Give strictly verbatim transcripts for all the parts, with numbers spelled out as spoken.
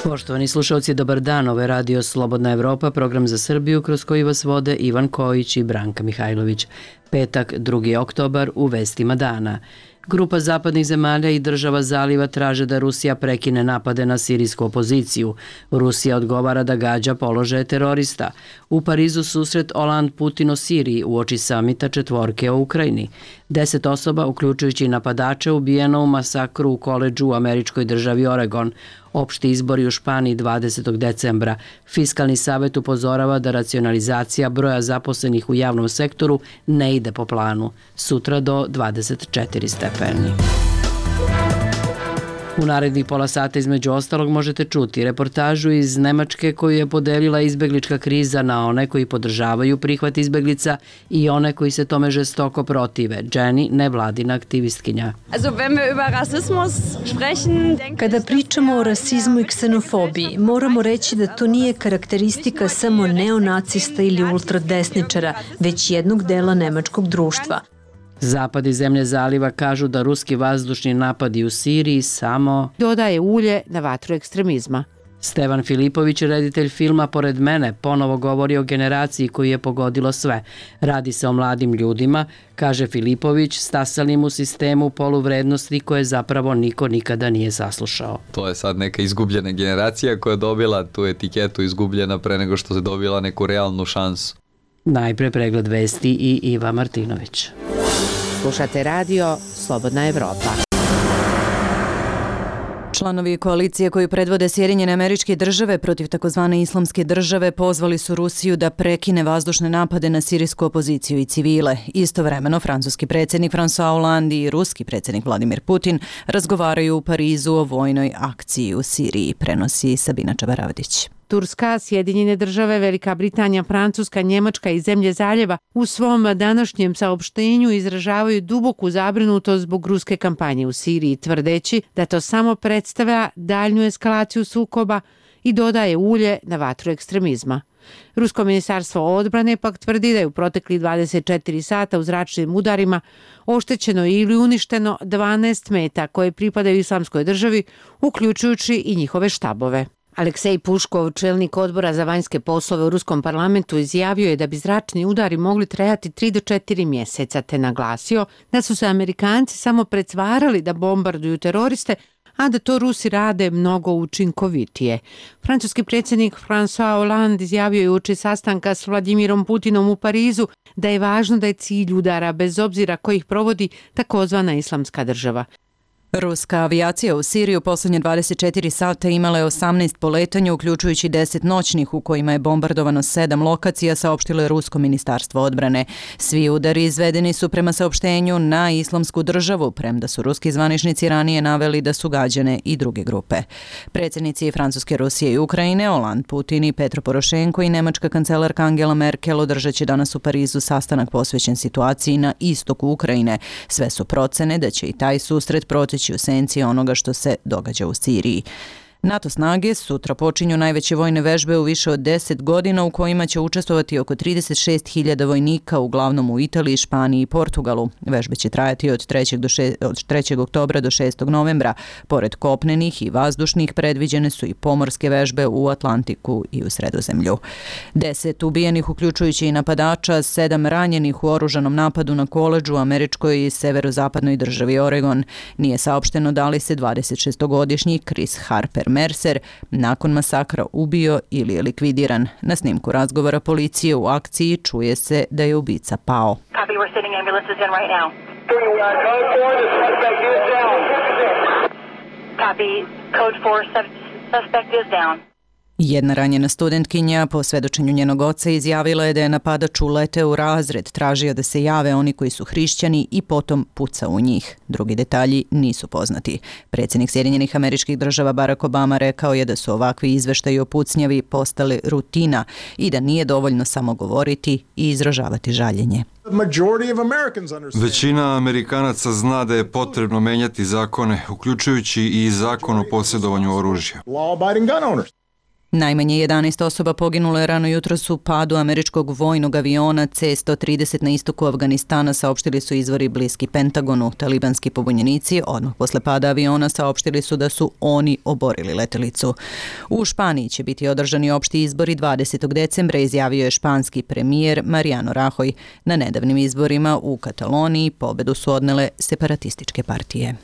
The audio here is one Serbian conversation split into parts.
Poštovani slušalci, dobar dan. Ovo je Radio Slobodna Evropa, program za Srbiju kroz koji vas vode Ivan Kojić i Branka Mihajlović. Petak, drugi oktobar, u vestima dana. Grupa zapadnih zemalja i država zaliva traže da Rusija prekine napade na sirijsku opoziciju. Rusija odgovara da gađa položaje terorista. U Parizu susret Hollande Putin o Siriji uoči samita četvorke o Ukrajini. Deset osoba, uključujući napadače, ubijeno u masakru u koledžu u američkoj državi Oregon. Opšti izbori u Španiji dvadesetog decembra. Fiskalni savet upozorava da racionalizacija broja zaposlenih u javnom sektoru ne ide po planu. Sutra do dvadeset četiri stepeni. U narednih pola sata između ostalog možete čuti reportažu iz Nemačke koju je podelila izbeglička kriza na one koji podržavaju prihvat izbeglica i one koji se tome žestoko protive. Jenny, nevladina aktivistkinja. Kada pričamo o rasizmu i ksenofobiji, moramo reći da to nije karakteristika samo neonacista ili ultradesničara, već jednog dela nemačkog društva. Zapad i zemlje zaliva kažu da ruski vazdušni napadi u Siriji samo dodaje ulje na vatru ekstremizma. Stevan Filipović, reditelj filma Pored mene, ponovo govori o generaciji koju je pogodilo sve. Radi se o mladim ljudima, kaže Filipović, stasalim u sistemu poluvrednosti koje zapravo niko nikada nije saslušao. To je sad neka izgubljena generacija koja je dobila tu etiketu izgubljena pre nego što se dobila neku realnu šansu. Najpre pregled vesti i Iva Martinović. Slušate radio Slobodna Evropa. Članovi koalicije koju predvode Sjedinjene Američke Države protiv takozvane islamske države pozvali su Rusiju da prekine vazdušne napade na sirijsku opoziciju i civile. Istovremeno, francuski predsjednik François Hollande i ruski predsjednik Vladimir Putin razgovaraju u Parizu o vojnoj akciji u Siriji, prenosi Sabina Čabaravdić. Turska, Sjedinjene države, Velika Britanija, Francuska, Njemačka i zemlje zaljeva u svom današnjem saopštenju izražavaju duboku zabrinutost zbog ruske kampanje u Siriji, tvrdeći da to samo predstavlja daljnju eskalaciju sukoba i dodaje ulje na vatru ekstremizma. Rusko ministarstvo odbrane pak tvrdi da je u proteklih dvadeset četiri sata u zračnim udarima oštećeno ili uništeno dvanaest meta koje pripadaju islamskoj državi, uključujući i njihove štabove. Aleksej Puškov, čelnik odbora za vanjske poslove u ruskom parlamentu, izjavio je da bi zračni udari mogli trajati tri do četiri mjeseca, te naglasio da su se Amerikanci samo pretvarali da bombarduju teroriste, a da to Rusi rade mnogo učinkovitije. Francuski predsjednik François Hollande izjavio je uoči sastanka s Vladimirom Putinom u Parizu da je važno da je cilj udara, bez obzira ko ih provodi, takozvana islamska država. Ruska avijacija u Siriju posljednje dvadeset četiri sata imala je osamnaest poletanja, uključujući deset noćnih u kojima je bombardovano sedam lokacija, saopštilo je Rusko ministarstvo odbrane. Svi udari izvedeni su prema saopštenju na islamsku državu, premda su ruski zvaničnici ranije naveli da su gađane i druge grupe. Predsjednici Francuske, Rusije i Ukrajine, Hollande, Putin i Petro Porošenko i nemačka kancelarka Angela Merkel održat će danas u Parizu sastanak posvećen situaciji na istoku Ukrajine. Sve su procene da će i taj susret proći u senci onoga što se događa u Siriji. NATO snage sutra počinju najveće vojne vežbe u više od deset godina u kojima će učestvovati oko trideset šest hiljada vojnika, uglavnom u Italiji, Španiji i Portugalu. Vežbe će trajati od trećeg, do šest, od trećeg oktobra do šestog novembra. Pored kopnenih i vazdušnih predviđene su i pomorske vežbe u Atlantiku i u Sredozemlju. Deset ubijenih, uključujući i napadača, sedam ranjenih u oružanom napadu na koledžu u američkoj i severozapadnoj državi Oregon. Nije saopšteno da li se dvadesetšestogodišnji Chris Harper Mercer nakon masakra ubio ili je likvidiran. Na snimku razgovora policije u akciji čuje se da je ubica pao. Copy, we're sending ambulances in right now. Copy, code four, suspect is down. Jedna ranjena studentkinja po svedočenju njenog oca izjavila je da je napadač uleteo u razred, tražio da se jave oni koji su hrišćani i potom pucao u njih. Drugi detalji nisu poznati. Predsjednik Sjedinjenih Američkih Država Barack Obama rekao je da su ovakvi izveštaji o pucnjavi postali rutina i da nije dovoljno samo govoriti i izražavati žaljenje. Većina Amerikanaca zna da je potrebno menjati zakone, uključujući i zakon o posjedovanju oružja. Najmanje jedanaest osoba poginulo je rano jutros u padu američkog vojnog aviona C sto trideset na istoku Afganistana, saopštili su izvori bliski Pentagonu. Talibanski pobunjenici odmah posle pada aviona saopštili su da su oni oborili letelicu. U Španiji će biti održani opšti izbori dvadesetog decembra, izjavio je španski premijer Mariano Rajoy. Na nedavnim izborima u Kataloniji pobedu su odnele separatističke partije.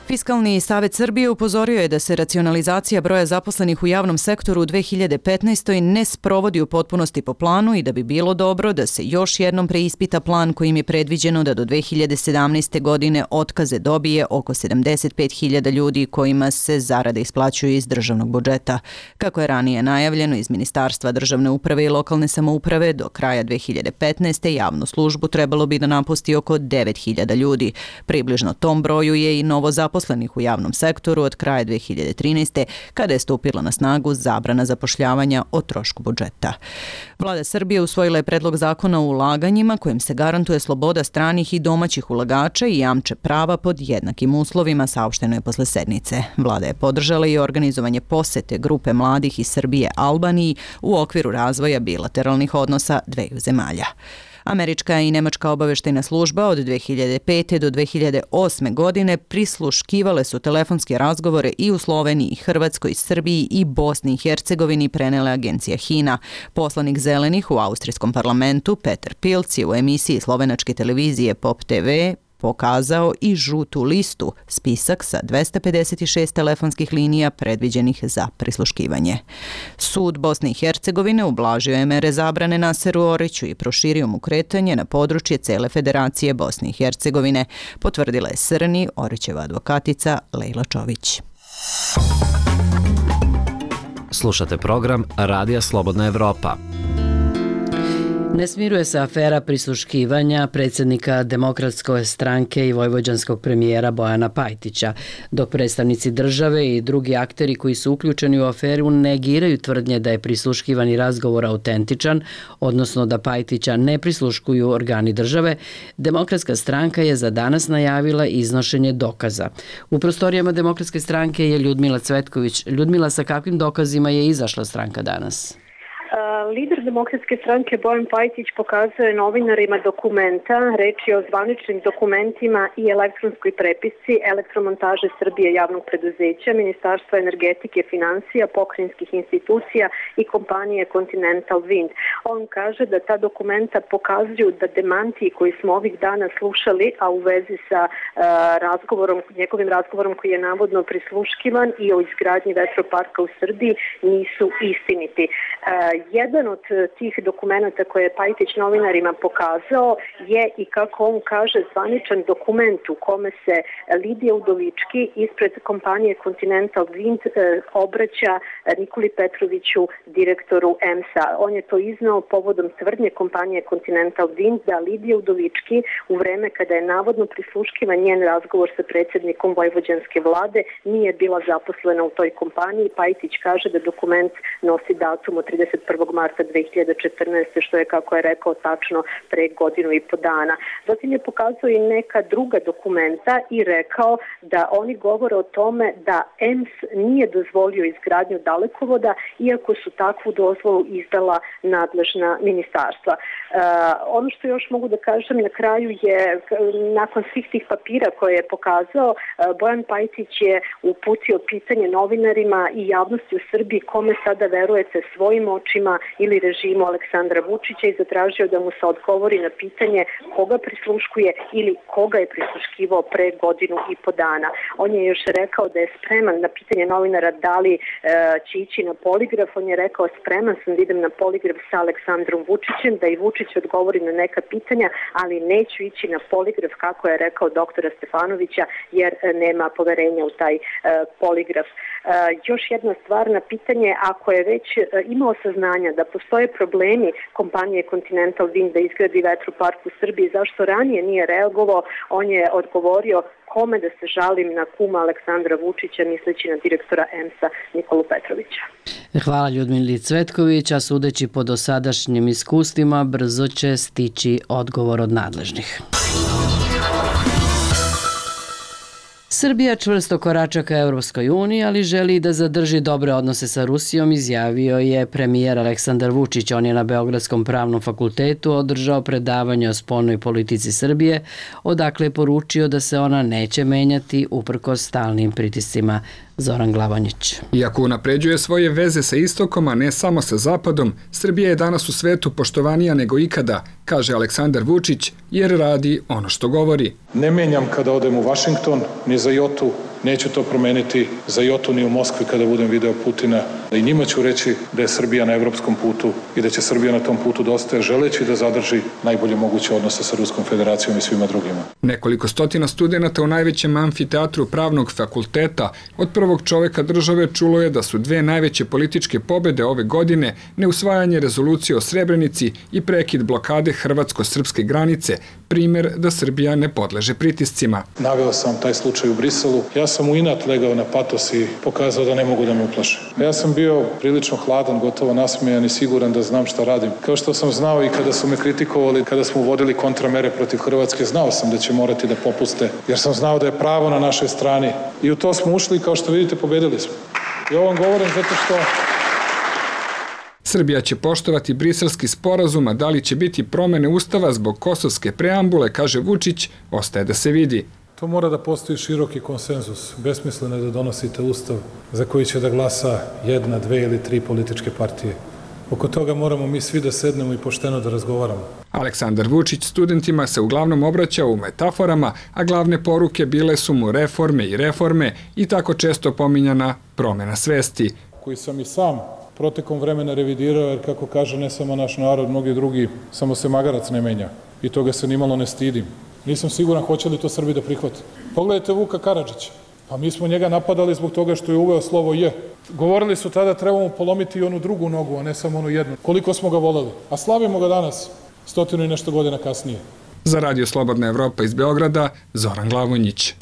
Fiskalni savet Srbije upozorio je da se racionalizacija broja zaposlenih u javnom sektoru u dve hiljade petnaestoj. ne sprovodi u potpunosti po planu i da bi bilo dobro da se još jednom preispita plan kojim je predviđeno da do dve hiljade sedamnaeste. godine otkaze dobije oko sedamdeset pet hiljada ljudi kojima se zarade isplaćuju iz državnog budžeta. Kako je ranije najavljeno iz Ministarstva državne uprave i lokalne samouprave, do kraja dve hiljade petnaeste. javnu službu trebalo bi da napusti oko devet hiljada ljudi. Približno tom broju je i novo zaposlenih u javnom sektoru od kraja dve hiljade trinaeste. kada je stupila na snagu zabrana zapošljavanja o trošku budžeta. Vlada Srbije usvojila je predlog zakona o ulaganjima kojim se garantuje sloboda stranih i domaćih ulagača i jamče prava pod jednakim uslovima, saopšteno je posle sednice. Vlada je podržala i organizovanje posete grupe mladih iz Srbije Albaniji u okviru razvoja bilateralnih odnosa dveju zemalja. Američka i nemačka obaveštajna služba od dve hiljade pete. do dve hiljade osme. godine prisluškivale su telefonske razgovore i u Sloveniji, Hrvatskoj, Srbiji i Bosni i Hercegovini, prenela agencija HINA. Poslanik Zelenih u austrijskom parlamentu Peter Pilc je u emisiji slovenačke televizije Pop te ve pokazao i žutu listu, spisak sa dvesta pedeset šest telefonskih linija predviđenih za prisluškivanje. Sud Bosne i Hercegovine ublažio je mere zabrane Naseru Oriću i proširio mu kretanje na područje cele Federacije Bosne i Hercegovine, potvrdila je Srni, Orićeva advokatica Lejla Čović. Slušate program Radija Slobodna Evropa. Ne smiruje se afera prisluškivanja predsjednika Demokratske stranke i vojvođanskog premijera Bojana Pajtića, dok predstavnici države i drugi akteri koji su uključeni u aferu negiraju tvrdnje da je prisluškivani razgovor autentičan, odnosno da Pajtića ne prisluškuju organi države. Demokratska stranka je za danas najavila iznošenje dokaza. U prostorijama Demokratske stranke je Ljudmila Cvetković. Ljudmila, sa kakvim dokazima je izašla stranka danas? Lider Demokratske stranke Bojan Pajtić pokazuje novinarima dokumenta, reč je o zvaničnim dokumentima i elektronskoj prepisci Elektromontaže Srbije javnog preduzeća, Ministarstva energetike, financija, pokrajinskih institucija i kompanije Continental Wind. On kaže da ta dokumenta pokazuju da demanti koji smo ovih dana slušali, a u vezi sa uh, razgovorom, njegovim razgovorom koji je navodno prisluškivan i o izgradnji vetroparka u Srbiji, nisu istiniti. Uh, jedan od tih dokumenta koje je Pajtić novinarima pokazao je, i kako on kaže, zvaničan dokument u kome se Lidija Udovički ispred kompanije Continental Wind obraća Nikoli Petroviću, direktoru E M S-a. On je to iznao povodom tvrdnje kompanije Continental Wind da Lidija Udovički u vreme kada je navodno prisluškivan njen razgovor sa predsjednikom vojvođanske vlade nije bila zaposlena u toj kompaniji. Pajtić kaže da dokument nosi datum od trideset prvog marta dve hiljade četrnaeste. što je, kako je rekao, tačno pre godinu i po dana. Zatim je pokazao i neka druga dokumenta i rekao da oni govore o tome da E M S nije dozvolio izgradnju dalekovoda, iako su takvu dozvolu izdala nadležna ministarstva. E, ono što još mogu da kažem na kraju je, nakon svih tih papira koje je pokazao, Bojan Pajtić je uputio pitanje novinarima i javnosti u Srbiji kome sada verujete, svojim očima ili režimu Aleksandra Vučića, i zatražio da mu se odgovori na pitanje koga prisluškuje ili koga je prisluškivao pre godinu i po dana. On je još rekao da je spreman na pitanje novinara da li e, će ići na poligraf. On je rekao spreman sam da idem na poligraf sa Aleksandrom Vučićem, da i Vučić odgovori na neka pitanja, ali neću ići na poligraf, kako je rekao doktora Stefanovića, jer nema poverenja u taj e, poligraf. E, još jedna stvar na pitanje, ako je već e, imao saznanja da postoje problemi kompanije Continental Wind da izgradi vetropark u Srbiji, zašto ranije nije reagovao? On je odgovorio kome da se žalim, na kuma Aleksandra Vučića, misleći na direktora E M S-a Nikolu Petrovića. Hvala Ljudmili Cvetković, a sudeći po dosadašnjim iskustvima brzo će stići odgovor od nadležnih. Srbija čvrsto korača ka Evropskoj uniji, ali želi da zadrži dobre odnose sa Rusijom, izjavio je premijer Aleksandar Vučić. On je na Beogradskom pravnom fakultetu održao predavanje o spoljnoj politici Srbije, odakle je poručio da se ona neće menjati uprkos stalnim pritiscima. Zoran Glavanjić. Iako unapređuje svoje veze sa istokom, a ne samo sa zapadom, Srbija je danas u svetu poštovanija nego ikada, kaže Aleksandar Vučić, jer radi ono što govori. Ne menjam kada odem u Vašington, ni za jotu, neću to promeniti za jotu ni u Moskvi kada budem video Putina. I njima ću reći da je Srbija na evropskom putu i da će Srbija na tom putu da ostaje, želeći da zadrži najbolje moguće odnose sa Ruskom federacijom i svima drugima. Nekoliko stotina studenata u najvećem amfiteatru pravnog fakulteta od prvog čoveka države čulo je da su dve najveće političke pobede ove godine neusvajanje rezolucije o Srebrenici i prekid blokade hrvatsko-srpske granice, primer da Srbija ne podleže pritiscima. Naveo sam taj slučaj u Briselu. Ja sam u inat legao na patos i pokazao da ne mogu da me uplaše. Ja sam bio prilično hladan, gotovo nasmejan i siguran da znam šta radim. Kao što sam znao i kada su me kritikovali, kada smo uvodili kontramere protiv Hrvatske, znao sam da će morati da popuste, jer sam znao da je pravo na našoj strani. I u to smo ušli i kao što vidite pobedili smo. I ovo vam govorim zato što Srbija će poštovati briselski sporazum, a da li će biti promene ustava zbog kosovske preambule, kaže Vučić, ostaje da se vidi. To mora da postoji široki konsenzus. Besmisleno je da donosite ustav za koji će da glasa jedna, dve ili tri političke partije. Oko toga moramo mi svi da sednemo i pošteno da razgovaramo. Aleksandar Vučić studentima se uglavnom obraća u metaforama, a glavne poruke bile su mu reforme i reforme i tako često pominjana promena svesti. Koji sam i sam protekom vremena revidirao, jer kako kaže ne samo naš narod, mnogi drugi, samo se magarac ne menja. I toga se nimalo ne stidim. Nisam siguran hoće li to Srbi da prihvate. Pogledajte Vuka Karadžića. Pa mi smo njega napadali zbog toga što je uveo slovo J. Govorili su tada trebamo polomiti i onu drugu nogu, a ne samo onu jednu. Koliko smo ga voleli. A slavimo ga danas, stotinu i nešto godina kasnije. Za Radio Slobodna Evropa iz Beograda, Zoran Glavonjić.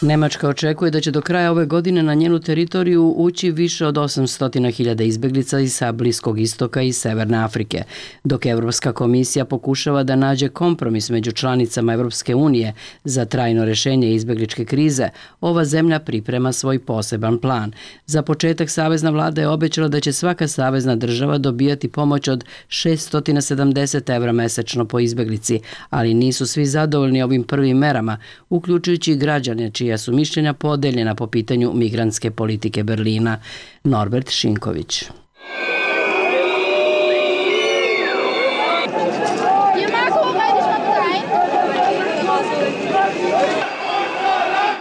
Nemačka očekuje da će do kraja ove godine na njenu teritoriju ući više od osamsto hiljada izbeglica iz sa Bliskog istoka i Severne Afrike, dok Evropska komisija pokušava da nađe kompromis među članicama Evropske unije za trajno rešenje izbegličke krize. Ova zemlja priprema svoj poseban plan. Za početak savezna vlada je obećala da će svaka savezna država dobijati pomoć od šessto sedamdeset evra mesečno po izbeglici, ali nisu svi zadovoljni ovim prvim merama, uključujući i građane čija su mišljenja podeljena po pitanju migrantske politike Berlina. Norbert Šinković.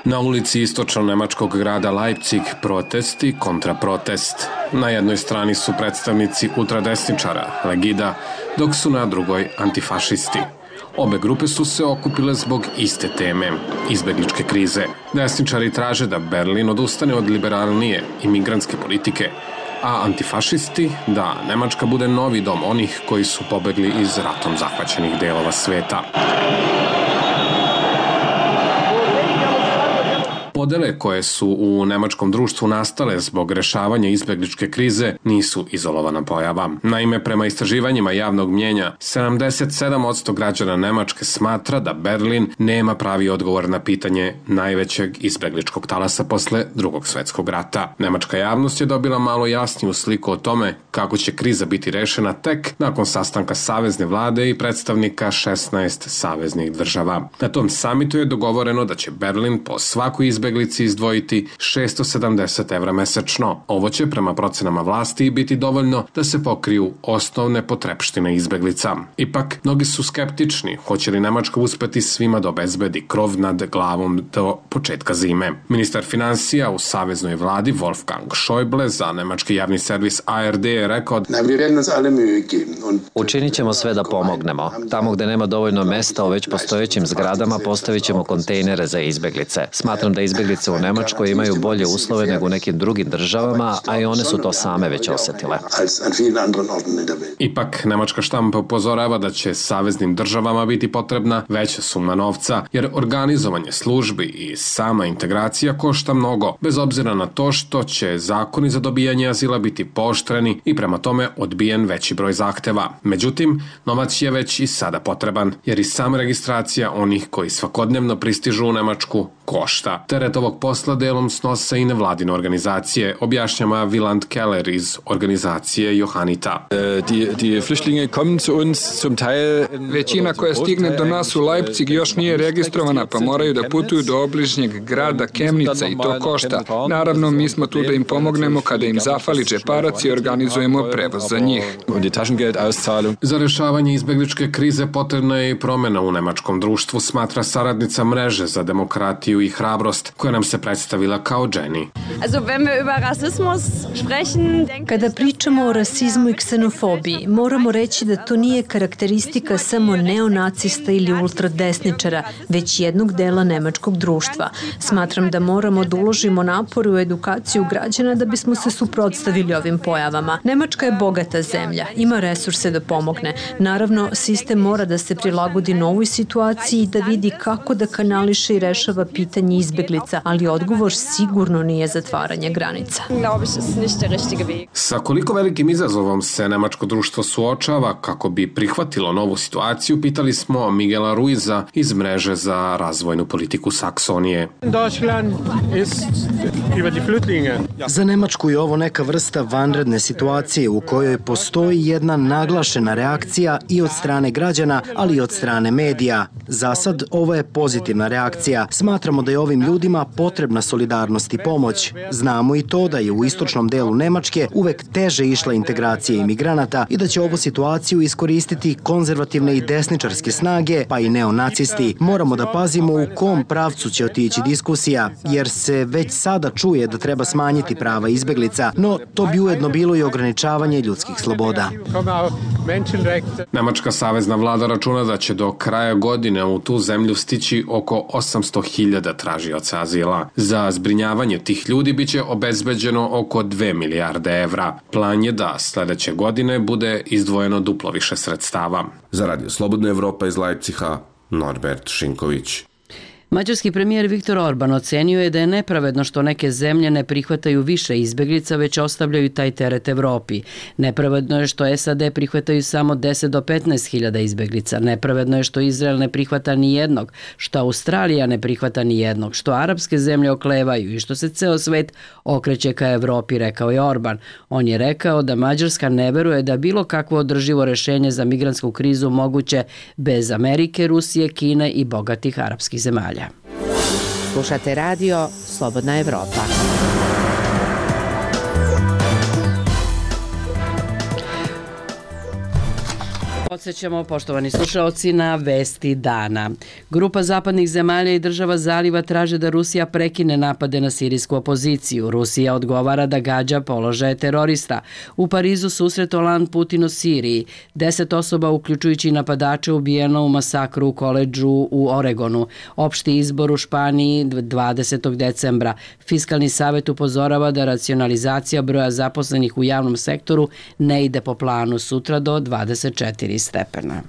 Na ulici istočno-nemačkog grada Leipzig protesti kontra protest. Na jednoj strani su predstavnici ultradesničara, Legida, dok su na drugoj antifašisti. Obe grupe su se okupile zbog iste teme, izbegličke krize. Desničari traže da Berlin odustane od liberalnije imigrantske politike, a antifašisti da Nemačka bude novi dom onih koji su pobegli iz ratom zahvaćenih delova sveta. Podele koje su u nemačkom društvu nastale zbog rešavanja izbegličke krize nisu izolovana pojava. Naime, prema istraživanjima javnog mnjenja, sedamdeset sedam posto građana Nemačke smatra da Berlin nema pravi odgovor na pitanje najvećeg izbegličkog talasa posle drugog svetskog rata. Nemačka javnost je dobila malo jasniju sliku o tome kako će kriza biti rešena tek nakon sastanka savezne vlade i predstavnika šesnaest saveznih država. Na tom samitu je dogovoreno da će Berlin po svakoj izbegličkoj izbeglici izdvojiti šessto sedamdeset evra mesečno. Ovo će prema procenama vlasti biti dovoljno da se pokriju osnovne potrepštine izbeglica. Ipak, mnogi su skeptični hoće li Nemačka uspeti svima da obezbedi krov nad glavom do početka zime. Ministar finansija u saveznoj vladi Wolfgang Schäuble za nemački javni servis A R D je rekao: Učinit ćemo sve da pomognemo. Tamo gde nema dovoljno mesta u već postojećim zgradama postavit ćemo kontejnere za izbeglice. Smatram da izbeglice izbjeglice u Nemačkoj imaju bolje uslove nego u nekim drugim državama, a i one su to same već osjetile. Ipak, nemačka štampa upozorava da će saveznim državama biti potrebna veća suma novca, jer organizovanje službi i sama integracija košta mnogo, bez obzira na to što će zakoni za dobijanje azila biti pooštreni i prema tome odbijen veći broj zahteva. Međutim, novac je već i sada potreban, jer i sama registracija onih koji svakodnevno pristižu u Nemačku košta. Teret ovog posla delom snose i nevladine organizacije, objašnjava Wieland Keller iz organizacije Johannita. Većina koja stigne do nas u Leipzig još nije registrovana, pa moraju da putuju do obližnjeg grada Kemnica i to košta. Naravno, mi smo tu da im pomognemo kada im zafali džeparac i organizujemo prevoz za njih. Za rešavanje izbegličke krize potrebna je i promjena u nemačkom društvu, smatra saradnica mreže za demokratiju i hrabrost, koja nam se predstavila kao Jenny. Kada pričamo o rasizmu i ksenofobiji, moramo reći da to nije karakteristika samo neonacista ili ultradesničara, već jednog dela nemačkog društva. Smatram da moramo da uložimo napor u edukaciju građana da bismo se suprotstavili ovim pojavama. Nemačka je bogata zemlja, ima resurse da pomogne. Naravno, sistem mora da se prilagodi novoj situaciji i da vidi kako da kanališe i rešava pitanje izbeglica, ali odgovor sigurno nije zatvaranje granica. Sa koliko velikim izazovom se nemačko društvo suočava kako bi prihvatilo novu situaciju, pitali smo Miguela Ruiza iz mreže za razvojnu politiku Saksonije. Za Nemačku je ovo neka vrsta vanredne situacije u kojoj postoji jedna naglašena reakcija i od strane građana, ali i od strane medija. Za sad ovo je pozitivna reakcija. Smatramo da je ovim ljudima potrebna solidarnost i pomoć. Znamo i to da je u istočnom delu Nemačke uvek teže išla integracija imigranata i da će ovu situaciju iskoristiti konzervativne i desničarske snage, pa i neonacisti. Moramo da pazimo u kom pravcu će otići diskusija, jer se već sada čuje da treba smanjiti prava izbeglica, no to bi ujedno bilo i ograničavanje ljudskih sloboda. Nemačka savezna vlada računa da će do kraja godine u tu zemlju stići oko osamsto hiljada tražioca azila. Za zbrinjavanje tih ljudi biće obezbeđeno oko dve milijarde evra. Plan je da sledeće godine bude izdvojeno duplo više sredstava. Za Radio Slobodna Evropa iz Leipciga, Norbert Šinković. Mađarski premijer Viktor Orban ocenio je da je nepravedno što neke zemlje ne prihvataju više izbeglica, već ostavljaju taj teret Evropi. Nepravedno je što S A D prihvataju samo deset do petnaest hiljada izbeglica. Nepravedno je što Izrael ne prihvata ni jednog, što Australija ne prihvata ni jednog, što arapske zemlje oklevaju i što se ceo svet okreće ka Evropi, rekao je Orban. On je rekao da Mađarska ne veruje da bilo kakvo održivo rešenje za migrantsku krizu moguće bez Amerike, Rusije, Kine i bogatih arapskih zemalja. Slušate radio Slobodna Evropa. Podsećamo, poštovani slušaoci, na vesti dana. Grupa zapadnih zemalja i država Zaliva traže da Rusija prekine napade na sirijsku opoziciju. Rusija odgovara da gađa položaje terorista. U Parizu susret Hollande Putin u Siriji. Deset osoba, uključujući napadače, ubijeno u masakru u koledžu u Oregonu. Opšti izbor u Španiji dvadesetog decembra. Fiskalni savet upozorava da racionalizacija broja zaposlenih u javnom sektoru ne ide po planu, sutra do dvadeset četiri stepena.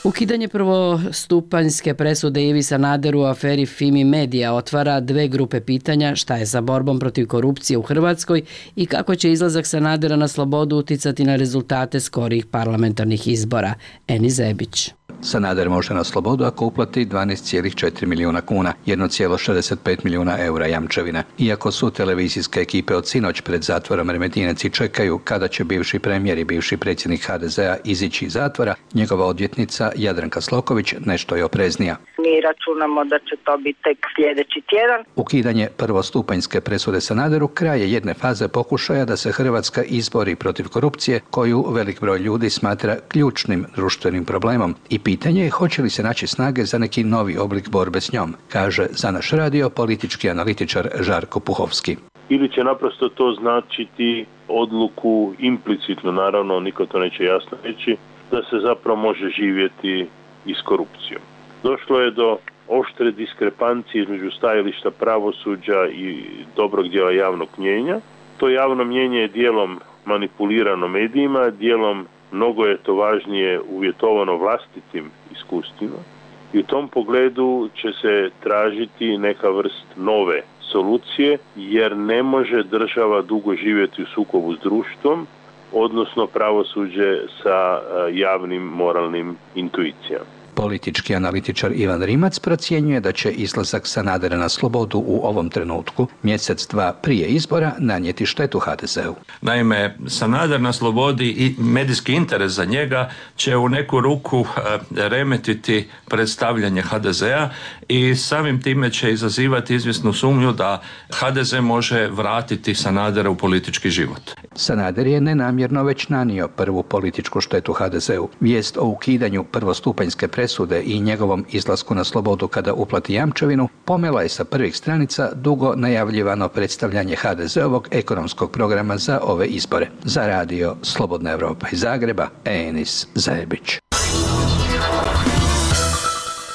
Ukidanje prvostupanjske presude Ivi Sanaderu u aferi Fimi Media otvara dve grupe pitanja: šta je sa borbom protiv korupcije u Hrvatskoj i kako će izlazak Sanadera na slobodu uticati na rezultate skorijih parlamentarnih izbora. Eni Zebić. Sanader može na slobodu ako uplati dvanaest zarez četiri milijuna kuna, jedan zarez šezdeset pet milijuna eura jamčevine. Iako su televizijske ekipe od sinoć pred zatvorom Remetinec i čekaju kada će bivši premijer i bivši predsjednik ha de zea izići iz zatvora, njegova odvjetnica Jadranka Sloković nešto je opreznija. Mi računamo da će to biti tek sljedeći tjedan. Ukidanje prvostupanjske presude Sanaderu kraj je jedne faze pokušaja da se Hrvatska izbori protiv korupcije, koju velik broj ljudi smatra ključnim društvenim problemom, i pitanje je hoće li se naći snage za neki novi oblik borbe s njom, kaže za naš radio politički analitičar Žarko Puhovski. Ili će naprosto to značiti odluku implicitno, naravno niko to neće jasno reći, da se zapravo može živjeti i s korupcijom. Došlo je do oštre diskrepancije između stajališta pravosuđa i dobrog dijela javnog mnjenja. To javno mnjenje je dijelom manipulirano medijima, dijelom mnogo je to važnije uvjetovano vlastitim iskustvima. I u tom pogledu će se tražiti neka vrst nove solucije, jer ne može država dugo živjeti u sukobu s društvom, odnosno pravosuđe sa javnim moralnim intuicijama. Politički analitičar Ivan Rimac procjenjuje da će izlazak Sanadera na slobodu u ovom trenutku, mjesec dva prije izbora, nanijeti štetu ha de zeu. Naime, Sanader na slobodi i medijski interes za njega će u neku ruku remetiti predstavljanje ha de zea i samim time će izazivati izvjesnu sumnju da ha de ze može vratiti Sanadera u politički život. Sanader je nenamjerno već nanio prvu političku štetu ha de zeu. Vijest o ukidanju prvostupanjske presude i njegovom izlasku na slobodu kada uplati jamčevinu pomela je sa prvih stranica dugo najavljivano predstavljanje ha de zeovog ekonomskog programa za ove izbore. Za radio Slobodna Evropa iz Zagreba, Enis Zajebić.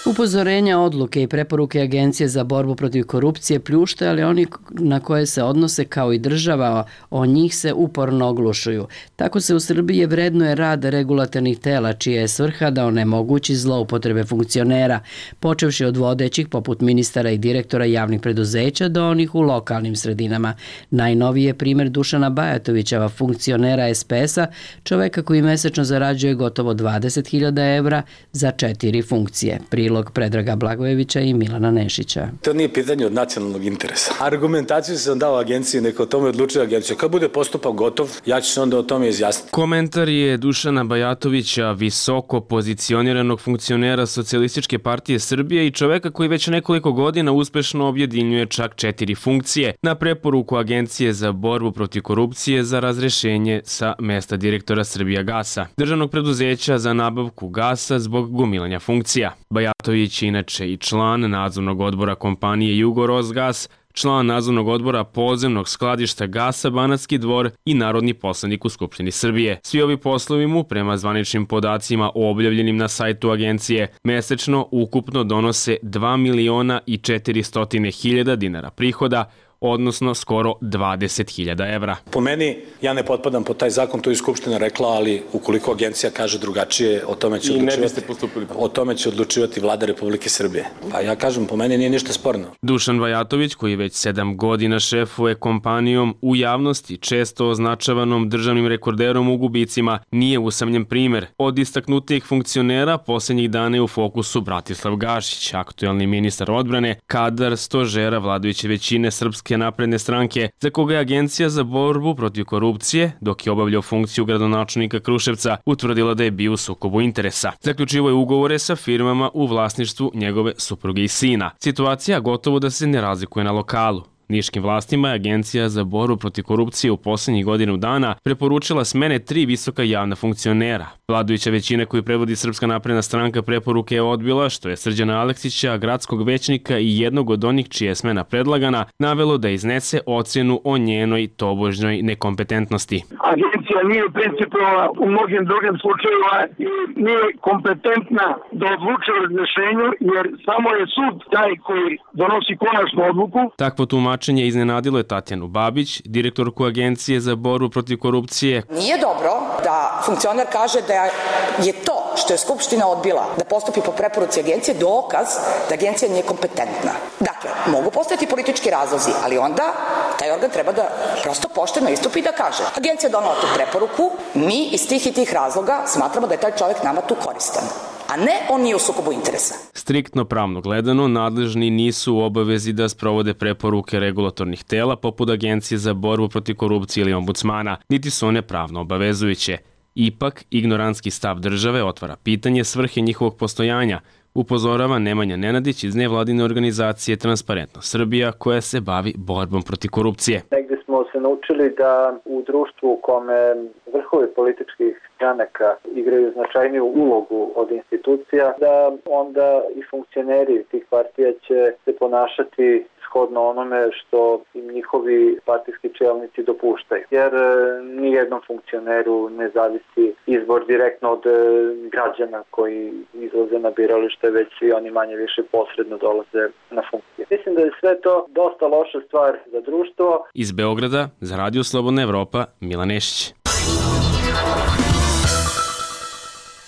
Upozorenja, odluke i preporuke Agencije za borbu protiv korupcije pljušte, ali oni na koje se odnose kao i država, o njih se uporno oglušuju. Tako se u Srbiji vrednuje rad regulatornih tela, čija je svrha da onemogući zloupotrebe funkcionera, počevši od vodećih poput ministara i direktora javnih preduzeća do onih u lokalnim sredinama. Najnoviji je primjer Dušana Bajatovića, funkcionera es pe es-a, čoveka koji mesečno zarađuje gotovo dvadeset hiljada evra za četiri funkcije. Prilog Predraga Blagojevića i Milana Nešića. To nije pitanje od nacionalnog interesa. Argumentaciju sam dao agenciji, neka o tome odlučuje agencija. Kad bude postupak gotov, ja ću se onda o tome izjasniti. Komentar je Dušana Bajatovića, visoko pozicioniranog funkcionera Socijalističke partije Srbije i čoveka koji već nekoliko godina uspešno objedinjuje čak četiri funkcije na preporuku Agencije za borbu protiv korupcije za razrešenje sa mesta direktora Srbijagasa, državnog preduzeća za nabavku gasa zbog gomilanja funkcija. Bajatović je inače i član nadzornog odbora kompanije Jugorosgas, član nadzornog odbora podzemnog skladišta gasa Banatski Dvor i narodni poslanik u Skupštini Srbije. Svi ovi poslovi mu, prema zvaničnim podacima objavljenim na sajtu agencije, mesečno ukupno donose dva miliona i četiristotina hiljada dinara prihoda, odnosno skoro dvadeset hiljada evra. Po meni, ja ne potpadam pod taj zakon, to je Skupština rekla, ali ukoliko agencija kaže drugačije, o tome će odlučivati, o tome će odlučivati Vlada Republike Srbije. Pa ja kažem, po meni nije ništa sporno. Dušan Bajatović, koji već sedam godina šefuje kompanijom u javnosti, često označavanom državnim rekorderom u gubicima, nije usamljen primer. Od istaknutijih funkcionera posljednjih dana je u fokusu Bratislav Gašić, aktuelni ministar odbrane, kadar stožera vladajuće većine Srpske napredne stranke, za koga je Agencija za borbu protiv korupcije, dok je obavljao funkciju gradonačelnika Kruševca, utvrdila da je bio u sukobu interesa. Zaključivo je ugovore sa firmama u vlasništvu njegove supruge i sina. Situacija gotovo da se ne razlikuje na lokalu. Niškim vlastima je Agencija za borbu protiv korupcije u posljednjih godinu dana preporučila smene tri visoka javna funkcionera. Vladajuća većina koju predvodi Srpska napredna stranka preporuke je odbila, što je Srđana Aleksića, gradskog većnika i jednog od onih čija je smena predlagana, navelo da iznese ocjenu o njenoj tobožnjoj nekompetentnosti. Agencija nije principovala u mnogim drugim slučajevima i nije kompetentna da odluče o razrešenju, jer samo je sud taj koji donosi konačnu odluku. Takvo tumačenje iznenadilo je Tatjanu Babić, direktorku Agencije za borbu protiv korupcije. Nije dobro da funkcioner kaže da je to što je Skupština odbila da postupi po preporuci agencije dokaz da agencija nije kompetentna. Dakle, mogu postojati politički razlozi, ali onda taj organ treba da prosto pošteno istupi i da kaže: agencija je donala tu preporuku, mi iz tih i tih razloga smatramo da je taj čovjek nama tu koristan, a ne on nije u sukobu interesa. Striktno pravno gledano, nadležni nisu u obavezi da sprovode preporuke regulatornih tela poput Agencije za borbu protiv korupcije ili ombudsmana, niti su one pravno obavezujuće. Ipak, ignorantski stav države otvara pitanje svrhe njihovog postojanja, upozorava Nemanja Nenadić iz nevladine organizacije Transparentno Srbija, koja se bavi borbom protiv korupcije. Negdje smo se naučili da u društvu u kome vrhovi političkih stranaka igraju značajniju ulogu od institucija, da onda i funkcioneri tih partija će se ponašati shodno onome što im njihovi partijski čelnici dopuštaju. Jer nijednom funkcioneru ne zavisi izbor direktno od građana koji izlaze na biralište, već i oni manje više posredno dolaze na funkcije. Mislim da je sve to dosta loša stvar za društvo. Iz Beograda, za Radio Slobodna Evropa, Milan Nešić.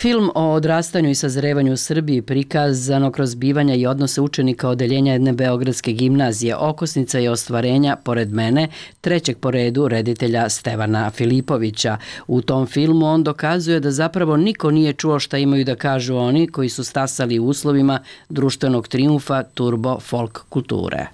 Film o odrastanju i sazrevanju u Srbiji prikazano kroz bivanja i odnose učenika odeljenja jedne beogradske gimnazije okosnica je ostvarenja, pored mene, trećeg po redu reditelja Stevana Filipovića. U tom filmu on dokazuje da zapravo niko nije čuo šta imaju da kažu oni koji su stasali u uslovima društvenog trijumfa turbo folk kulture.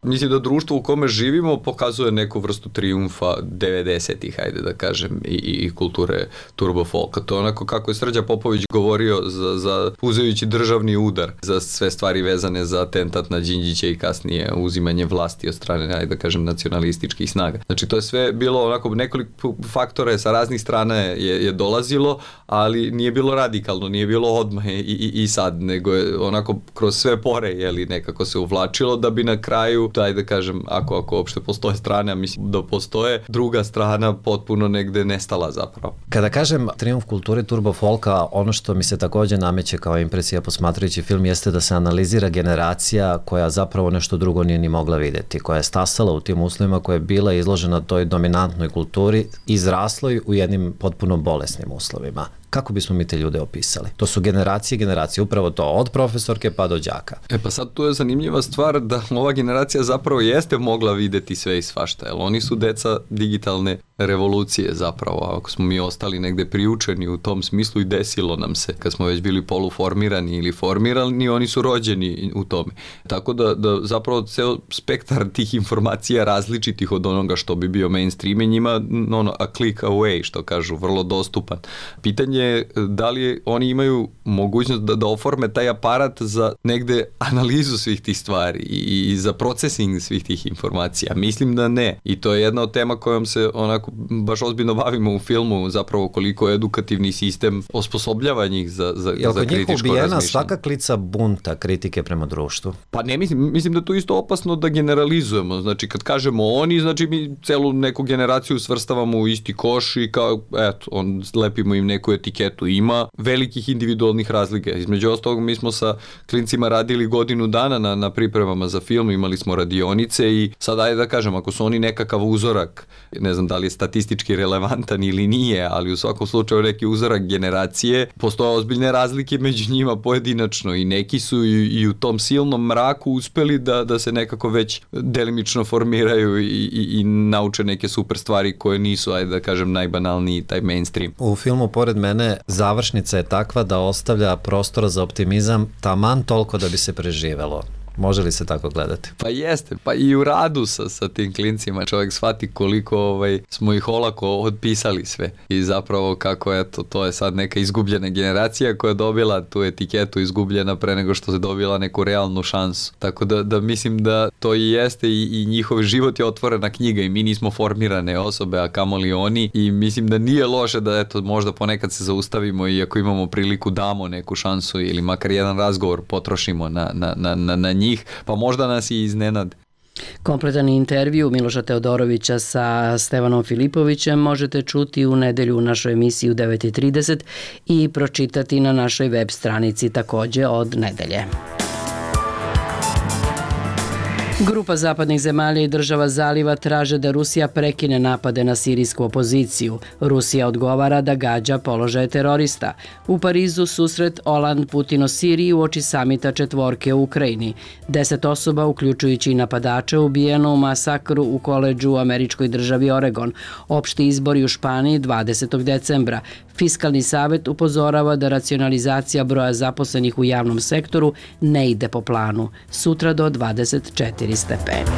Mislim da društvo u kome živimo pokazuje neku vrstu trijumfa devedesetih, hajde da kažem, i, i kulture turbo folka. To je onako kako je Srđa Popović govorio za, za uzimajući državni udar za sve stvari vezane za atentat na Đinđića i kasnije uzimanje vlasti od strane, hajde da kažem, nacionalističkih snaga. Znači to je sve bilo onako nekoliko faktora sa raznih strana je, je dolazilo, ali nije bilo radikalno, nije bilo odmah i, i, i sad, nego je onako kroz sve pore, jeli, nekako se uvlačilo da bi na kraju, daj da kažem, ako, ako uopšte postoje strane, a mislim da postoje, druga strana potpuno negde nestala zapravo. Kada kažem trijumf kulture turbo folka, ono što mi se takođe nameće kao impresija posmatrajući film jeste da se analizira generacija koja zapravo nešto drugo nije ni mogla videti, koja je stasala u tim uslovima, koja je bila izložena toj dominantnoj kulturi, izrasloj u jednim potpuno bolesnim uslovima. Kako bismo mi te ljude opisali? To su generacije, generacije, upravo to, od profesorke pa do đaka. E pa sad tu je zanimljiva stvar da ova generacija zapravo jeste mogla videti sve i svašta, jer oni su deca digitalne revolucije zapravo, ako smo mi ostali negde priučeni u tom smislu i desilo nam se, kad smo već bili poluformirani ili formirani, oni su rođeni u tome. Tako da, da zapravo ceo spektar tih informacija različitih od onoga što bi bio mainstream je njima ono, a click away, što kažu, vrlo dostupan. Pitanje je da li oni imaju mogućnost da, da oforme taj aparat za negde analizu svih tih stvari i, i za procesing svih tih informacija. Mislim da ne. I to je jedna od tema kojom se onako baš ozbiljno bavimo u filmu, zapravo koliko je edukativni sistem osposobljava njih za, za, Jel, za kritičko razmišljanje. Jel kod njih ubijena svaka klica bunta kritike prema društvu? Pa ne, mislim, mislim da to isto opasno da generalizujemo. Znači kad kažemo oni, znači mi celu neku generaciju svrstavamo u isti koš i kao, eto, on, lepimo im neku etiketu. Ima velikih individualnih razlika. Između ostalog, mi smo sa klincima radili godinu dana na, na pripremama za film, imali smo radionice i sad ajde da kažem, ako su oni nekakav uzorak, ne znam da li je statistički relevantan ili nije, ali u svakom slučaju neki uzorak generacije, postoje ozbiljne razlike među njima pojedinačno i neki su i, i u tom silnom mraku uspeli da, da se nekako već delimično formiraju i, i, i nauče neke super stvari koje nisu, ajde da kažem, najbanalniji taj mainstream. U filmu pored mene završnica je takva da ostavlja prostora za optimizam taman toliko da bi se preživelo. Može li se tako gledati? Pa jeste, pa i u radu sa, sa tim klincima čovjek shvati koliko ovaj, smo ih olako odpisali sve i zapravo kako eto, to je sad neka izgubljena generacija koja je dobila tu etiketu izgubljena pre nego što se dobila neku realnu šansu. Tako da, da mislim da to i jeste i, i njihov život je otvorena knjiga i mi nismo formirane osobe, a kamoli oni i mislim da nije loše da eto, možda ponekad se zaustavimo i ako imamo priliku damo neku šansu ili makar jedan razgovor potrošimo na, na, na, na, na njih, pa možda nas i iznenade. Kompletan intervju Miloša Teodorovića sa Stevanom Filipovićem možete čuti u nedelju u našoj emisiji u devet i trideset i pročitati na našoj web stranici takođe od nedelje. Grupa zapadnih zemalja i država Zaliva traže da Rusija prekine napade na sirijsku opoziciju. Rusija odgovara da gađa položaje terorista. U Parizu susret Oland Putin o Siriji uoči samita četvorke u Ukrajini. Deset osoba, uključujući i napadača, ubijeno u masakru u koledžu u američkoj državi Oregon. Opšti izbori u Španiji dvadesetog decembra. Fiskalni savet upozorava da racionalizacija broja zaposlenih u javnom sektoru ne ide po planu. Sutra do dvadeset četiri stepeni.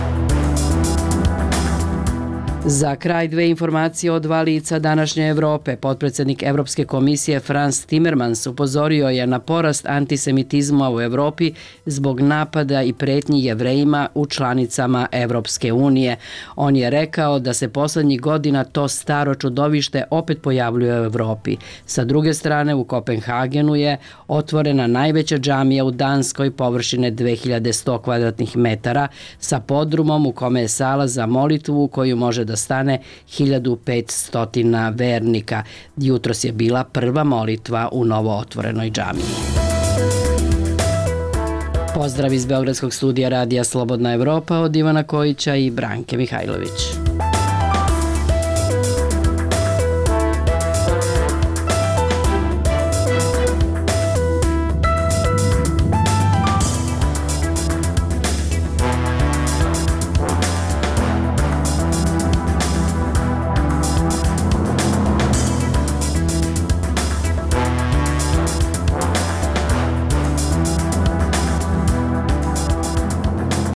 Za kraj dve informacije od dva lica današnje Evrope. Potpredsednik Evropske komisije Frans Timmermans upozorio je na porast antisemitizma u Evropi zbog napada i pretnji Jevrejima u članicama Evropske unije. On je rekao da se poslednjih godina to staro čudovište opet pojavljuje u Evropi. Sa druge strane, u Kopenhagenu je otvorena najveća džamija u Danskoj površine dve hiljade sto kvadratnih metara sa podrumom u kome je sala za molitvu u koju može da stane hiljadu petsto vernika. Jutros je bila prva molitva u novo otvorenoj džamiji. Pozdrav iz Beogradskog studija Radija Slobodna Evropa od Ivana Kojića i Branke Mihajlović.